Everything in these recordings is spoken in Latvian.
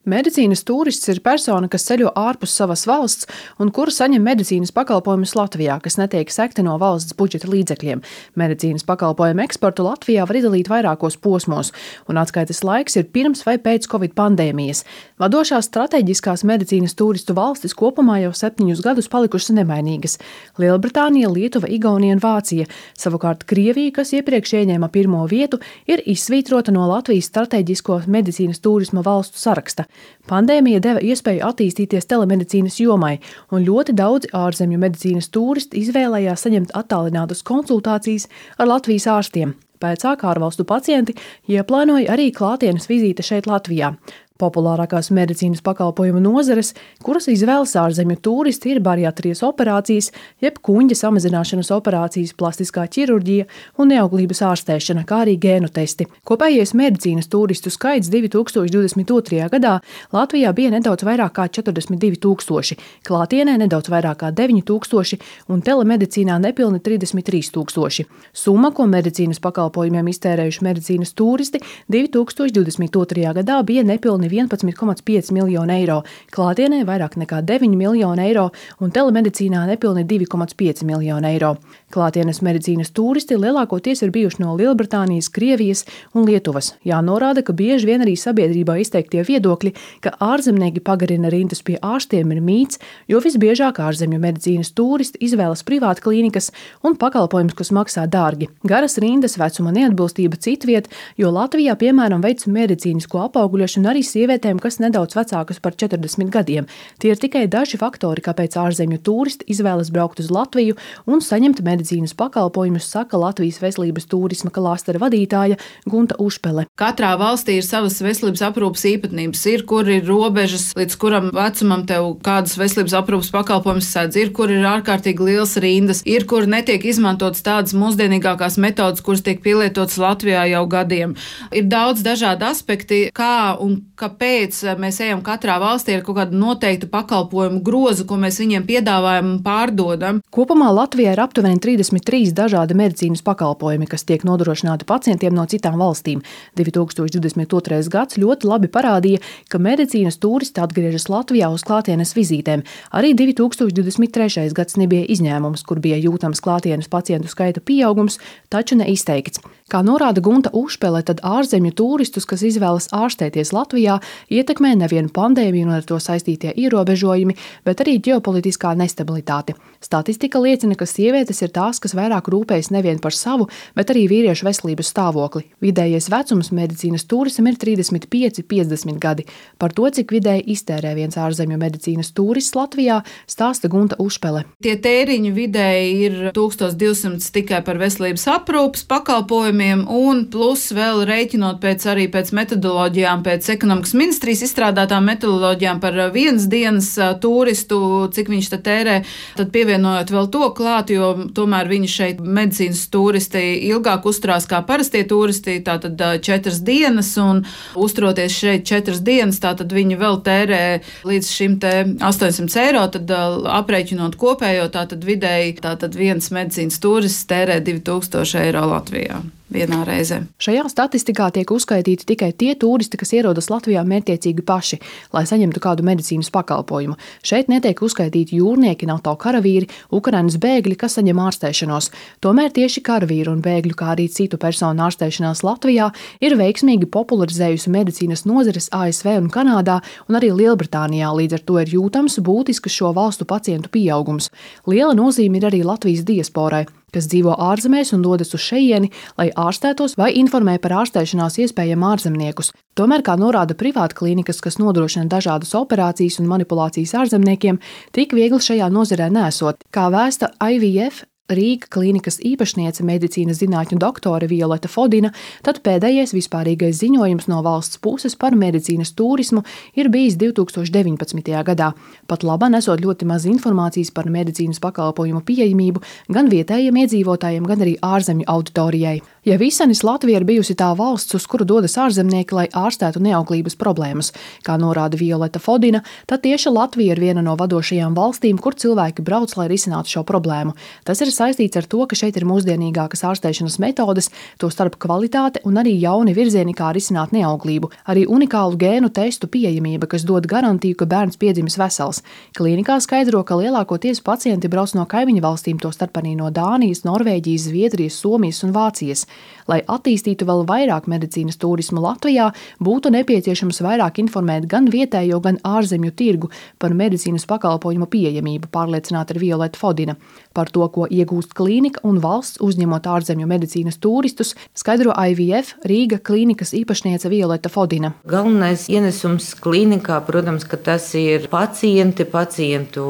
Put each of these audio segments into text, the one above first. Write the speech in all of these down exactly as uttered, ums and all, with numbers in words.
Medicīnas tūrists ir persona, kas ceļo ārpus savas valsts un kura saņem medicīnas pakalpojumus Latvijā, kas netiek sekti no valsts budžeta līdzekļiem. Medicīnas pakalpojumu eksportu Latvijā var izdalīt vairākos posmos, un atskaites laiks ir pirms vai pēc Covid pandēmijas. Vadošās strateģiskās medicīnas tūristu valstis kopumā jau septiņus gadus palikušas nemainīgas – Lielbritānija, Lietuva, Igaunija un Vācija. Savukārt Krievija, kas iepriekš ieņēma pirmo vietu, ir izsvītrota no Latvijas strateģisko medicīnas tūrisma valstu saraksta. Pandēmija deva iespēju attīstīties telemedicīnas jomai, un ļoti daudzi ārzemju medicīnas tūristi izvēlējās saņemt attālinātas konsultācijas ar Latvijas ārstiem. Pēcāk ārvalstu pacienti ieplānoja arī klātienes vizīte šeit Latvijā. Populārākās medicīnas pakalpojumu nozares, kuras izvēlas ārzemju tūristi, ir bariatrijas operācijas, jeb kuņģa samazināšanas operācijas, plastiskā ķirurģija un neauglības ārstēšana, kā arī gēnu testi. Kopējais medicīnas tūristu skaits divi tūkstoši divdesmit otrajā gadā Latvijā bija nedaudz vairāk kā četrdesmit divi tūkstoši, klātienē nedaudz vairāk kā deviņi tūkstoši un telemedicīnā nepilni trīsdesmit trīs tūkstoši. Summa, ko medicīnas pakalpojumiem iztērējuši medicīnas tūristi, divi tūkstoši divdesmit otrajā gadā bija nepilni vienpadsmit komats pieci miljoni eiro, klātienē vairāk nekā deviņi miljoni eiro un telemedicīnā nepilni divi komats pieci miljoni eiro. Klātienes medicīnas tūristi lielākoties ir bijuši no Lielbritānijas, Krievijas un Lietuvas. Jānorāda, ka bieži vien arī sabiedrībā izteiktie viedokļi, ka ārzemnieki pagarina rindas pie ārstiem ir mīts, jo visbiežāk ārzemju medicīnas tūristi izvēlas privāta klīnikas un pakalpojumus, kas maksā dārgi. Garas rindas, vecuma neatbilstība citviet, jo Latvijā, piemēram, veic medicīnisko apauguļošanu arī sievietēm, kas nedaudz vecākas par četrdesmit gadiem. Tie ir tikai daži faktori, kāpēc ārzemju tūristi izvēlas braukt uz Latviju un saņemt medicīnas pakalpojumus, saka Latvijas veselības tūrisma klāstera vadītāja Gunta Ušpele. Katrā valstī ir savas veselības aprūpes īpatnības. Ir, kur ir robežas, līdz kuram vecumam tev kādas veselības aprūpes pakalpojumus sēdz, ir, kur ir ārkārtīgi liels rindas, ir, kur netiek izmantotas tādas mūsdienīgākās metodas, kuras tiek pielietotas Latvijā jau gadiem. Ir daudz dažādi aspekti, kā un kāpēc mēs ejam katrā valstī ar kaut kādu noteiktu pakalpojumu grozu, ko mēs viņiem piedāvājam un pārdodam. Kopumā Latvijā ir aptuveni trīsdesmit trīs dažādi medicīnas pakalpojumi, kas tiek nodrošināti pacientiem no citām valstīm. divi tūkstoši divdesmit otrais gads ļoti labi parādīja, ka medicīnas tūristi atgriežas Latvijā uz klātienes vizītēm. Arī divi tūkstoši divdesmit trešais gads nebija izņēmums, kur bija jūtams klātienes pacientu skaita pieaugums, taču neizteikts. Kā norāda Gunta Ušpele, tad ārzemju tūristus, kas izvēlas ārstēties Latvijā, ietekmē nevienu pandēmiju un ar to saistītie ierobežojumi, bet arī ģeopolitiskā nestabilitāte. Statistika liecina, ka sievietes ir tās, kas vairāk rūpējas nevien par savu, bet arī vīriešu veselības stāvokli. Vidējais vecums medicīnas tūristam ir trīsdesmit pieci līdz piecdesmit gadi. Par to, cik vidēji iztērē viens ārzemju medicīnas tūrists Latvijā, stāsta Gunta Ušpele. Tie tēriņi vidēji ir tūkstoš divsimt tikai par veselības aprūpes pakalpojumiem, un plus vēl rēķinot pēc arī pēc metodoloģijām, pēc ekonomikas ministrijas izstrādātām metodoloģijām par vienas dienas turistu, cik viņš te tērē, tad pievienojot vēl to klāt, jo tomēr viņi šeit medicīnas turisti ilgāk uzturās kā parastie turisti, tātad četras dienas, un uzturoties šeit četras dienas, tātad viņi vēl tērē līdz šim te astoņsimt eiro, tad aprēķinot kopējo, tātad vidēji, tātad viens medicīnas turists tērē divi tūkstoši eiro Latvijā vienā reizē. Šajā statistikā tiek uzskaitīti tikai tie turisti, kas ierodas Latvijā mērķtiecīgi paši, lai saņemtu kādu medicīnas pakalpojumu. Šeit netiek uzskaitīti jūrnieki, NATO karavīri, Ukrainas bēgļi, kas saņem ārstēšanos. Tomēr tieši karavīru un bēgļu, kā arī citu personu ārstēšanās Latvijā ir veiksmīgi popularizējusi medicīnas nozares A S V un Kanādā un arī Lielbritānijā, līdz ar to ir jūtams būtisks šo valstu pacientu pieaugums. Liela nozīme ir arī Latvijas diasporai, kas dzīvo ārzemēs un dodas uz šejieni, lai ārstētos vai informē par ārstēšanās iespējām ārzemniekus. Tomēr, kā norāda privāta klīnikas, kas nodrošina dažādas operācijas un manipulācijas ārzemniekiem, tik viegli šajā nozarē nesot. Kā vēsta I V F Rīga klīnikas īpašniece medicīnas zinātņu doktore Violeta Fodina, tad pēdējais vispārīgais ziņojums no valsts puses par medicīnas turismu ir bijis divi tūkstoši deviņpadsmitajā gadā. Pat labā nesot ļoti maz informācijas par medicīnas pakalpojumu pieejamību gan vietējiem iedzīvotājiem, gan arī ārzemju auditorijai. Ja visenis Latvija ir bijusi tā valsts, uz kuru dodas ārzemnieki, lai ārstētu neauglības problēmas, kā norāda Violeta Fodina, tad tieši Latvija ir viena no vadošajām valstīm, kur cilvēki brauc, lai risinātu šo problēmu. Tas ir saistīts ar to, ka šeit ir mūsdienīgākas ārstēšanas metodes, tostarp kvalitāte un arī jauni virzieni, kā risināt neauglību, arī unikālu gēnu testu pieejamība, kas dod garantiju, ka bērns piedzimis vesels. Klīnikā skaidro, ka lielākoties pacienti brauc no kaimiņu valstīm, tostarp arī no Dānijas, Norvēģijas, Zviedrijas, Somijas un Vācijas. Lai attīstītu vēl vairāk medicīnas turismu Latvijā, būtu nepieciešams vairāk informēt gan vietējo, gan ārzemju tirgu par medicīnas pakalpojumu pieejamību, pārliecināta ir Violeta Fodina. Par to, ko iegūst klīnika un valsts uzņemot ārzemju medicīnas turistus, skaidro I V F Rīga klīnikas īpašniece Violeta Fodina. Galvenais ienesums klīnikā, protams, ka tas ir pacienti, pacientu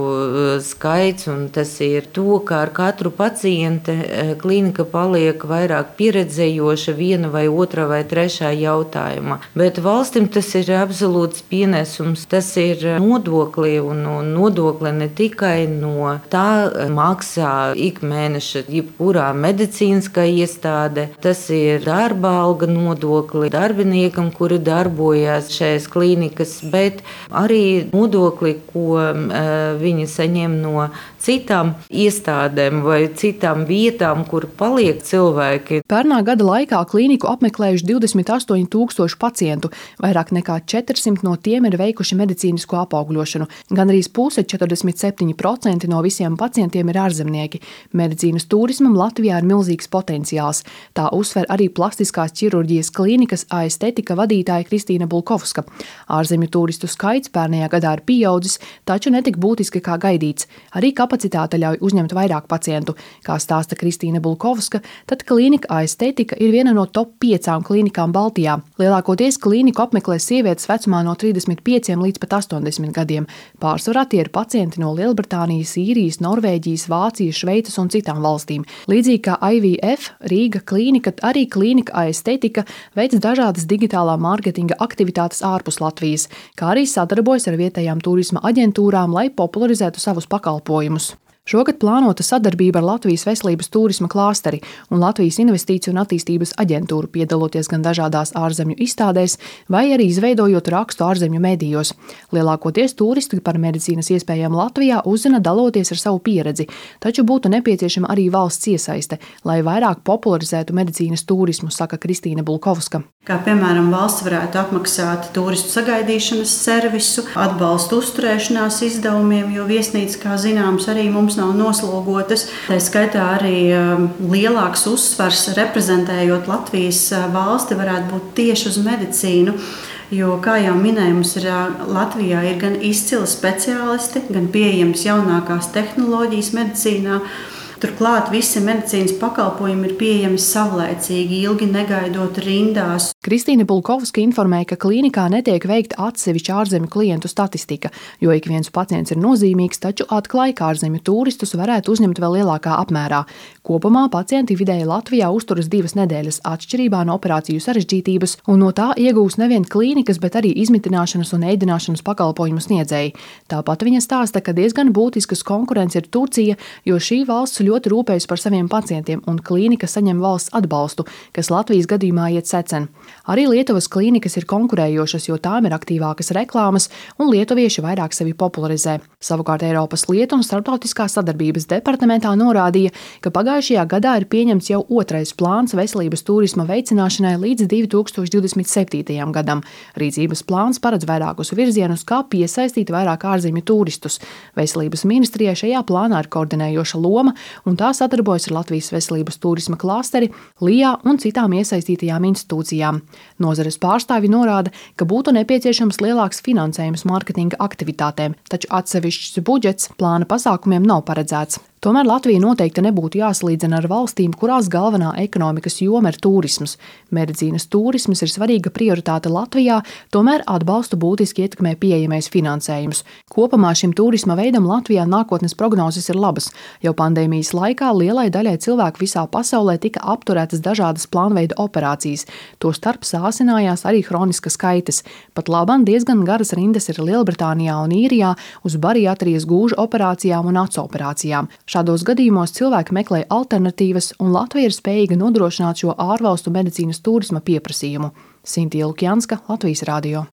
skaits, un tas ir to, ka ar katru pacienti klīnika paliek vairāk pieredzējoša viena vai otra vai trešā jautājumā. Bet valstim tas ir absolūts pienesums, tas ir nodokli, un nodokli ne tikai no tā maksā ik mēneša jebkurā medicīniskā iestāde, tas ir darba alga nodokli darbiniekam, kuri darbojas šajās klīnikas, bet arī nodokli, ko uh, viņi saņem no citām iestādēm vai citām vietām, kur paliek cilvēki. Pērnā gada laikā klīniku apmeklējuši divdesmit astoņi tūkstoši pacientu, vairāk nekā četrsimt no tiem ir veikuši medicīnisko apaugļošanu. Gandrīz puse, četrdesmit septiņi procenti no visiem pacientiem ir ārzemnieki. Medicīnas turismam Latvijā ir milzīgs potenciāls. Tā uzsver arī plastiskās ķirurģijas klīnikas aestetika vadītāja Kristīna Bulkovska. Ārzemju turistu skaits pērnajā gadā ir pieaudzis, taču netik būtiski kā gaidīts. Arī kapacitāte ļauj uzņemt vairāk pacientu. Kā stāsta Kristīna Bulkovska, tad klīnika aestetika ir viena no top piecām klīnikām Baltijā. Lielākoties klīniku apmeklē sievietes vecumā no trīsdesmit pieciem līdz pat astoņdesmit gadiem. Pārsvarā tie ir pacienti no Lielbritānijas, Īrijas, Norvēģijas, Vācijas, Šveices un citām valstīm. Līdzīgi kā I V F Rīga klīnika, arī klīnika aestetika veic dažādas digitālā mārketinga aktivitātes ārpus Latvijas, kā arī sadarbojas ar vietējām turisma aģentūrām, lai popularizētu savus pakalpojumus. Šogad plānota sadarbība ar Latvijas veselības turisma klāsteri un Latvijas investīciju un attīstības aģentūru, piedaloties gan dažādās ārzemju izstādēs, vai arī izveidojot rakstu ārzemju medijos. Lielākoties turisti par medicīnas iespējām Latvijā uzzina daloties ar savu pieredzi, taču būtu nepieciešama arī valsts iesaiste, lai vairāk popularizētu medicīnas turismu, saka Kristīna Bulkovska. Kā piemēram valsts varētu apmaksāt turistu sagaidīšanas servisu, atbalstu uzturēšanās izdevumiem, jo viesnīcas, kā zināms, arī mums nav noslogotas. Tā skaitā arī lielāks uzsvars reprezentējot Latvijas valsti varētu būt tieši uz medicīnu. Jo, kā jau minēju, mums ir Latvijā ir gan izcili speciālisti, gan pieejamas jaunākās tehnoloģijas medicīnā. Turklāt visi medicīnas pakalpojumi ir pieejami savlaicīgi, ilgi negaidot rindās. Kristīna Bulkovska informēja, ka klīnikā netiek veikta atsevišķa ārzemju klientu statistika, jo ik viens pacients ir nozīmīgs, taču atklāja, ka ārzemju turistus varētu uzņemt vēl lielākā apmērā. Kopumā pacienti vidēji Latvijā uzturas divas nedēļas atšķirībā no operāciju sarežģītības, un no tā iegūs nevien klīnikas, bet arī izmitināšanas un ēdināšanas pakalpojumu sniedzēji. Tāpat viņa stāsta, ka diezgan būtiskas konkurence ir Turcija, jo šī valsts ļoti rūpējas par saviem pacientiem, un klīnika saņem valsts atbalstu, kas Latvijas gadījumā iet secen. Arī Lietuvas klīnikas ir konkurējošas, jo tām ir aktīvākas reklāmas, un lietuvieši vairāk sevi popularizē. Savukārt Eiropas lietu un starptautiskās sadarbības departamentā norādīja, ka pagājušajā gadā ir pieņemts jau otrais plāns veselības turisma veicināšanai līdz divi tūkstoši divdesmit septītajam gadam. Rīcības plāns paredz vairākus virzienus, kā piesaistīt vairāk ārzemju turistus. Veselības ministrijai šajā plānā ir koordinējoša loma, un tā sadarbojas ar Latvijas veselības turisma klāsteri, L I A un citām iesaistītajām institūcijām. Nozares pārstāvi norāda, ka būtu nepieciešams lielāks finansējums mārketinga aktivitātēm, taču atsevišķs budžets plāna pasākumiem nav paredzēts. Tomēr Latvija noteikti nebūtu jāsalīdzina ar valstīm, kurās galvenā ekonomikas joma ir turisms. Medicīnas turisms ir svarīga prioritāte Latvijā, tomēr atbalstu būtiski ietekmē pieejamais finansējums. Kopumā šim turisma veidam Latvijā nākotnes prognozes ir labas. Jau pandēmijas laikā lielai daļai cilvēku visā pasaulē tika apturētas dažādas plānveida operācijas. Tostarp sāsinājās arī hroniskas kaitas. Pat labam diezgan garas rindas ir Lielbritānijā un Īrijā uz bariatrijas gūžu operācijām un acu operācijām. Šādos gadījumos cilvēki meklē alternatīvas, un Latvija ir spējīga nodrošināt šo ārvalstu medicīnas turisma pieprasījumu. Sintija Lukjanska, Latvijas radio.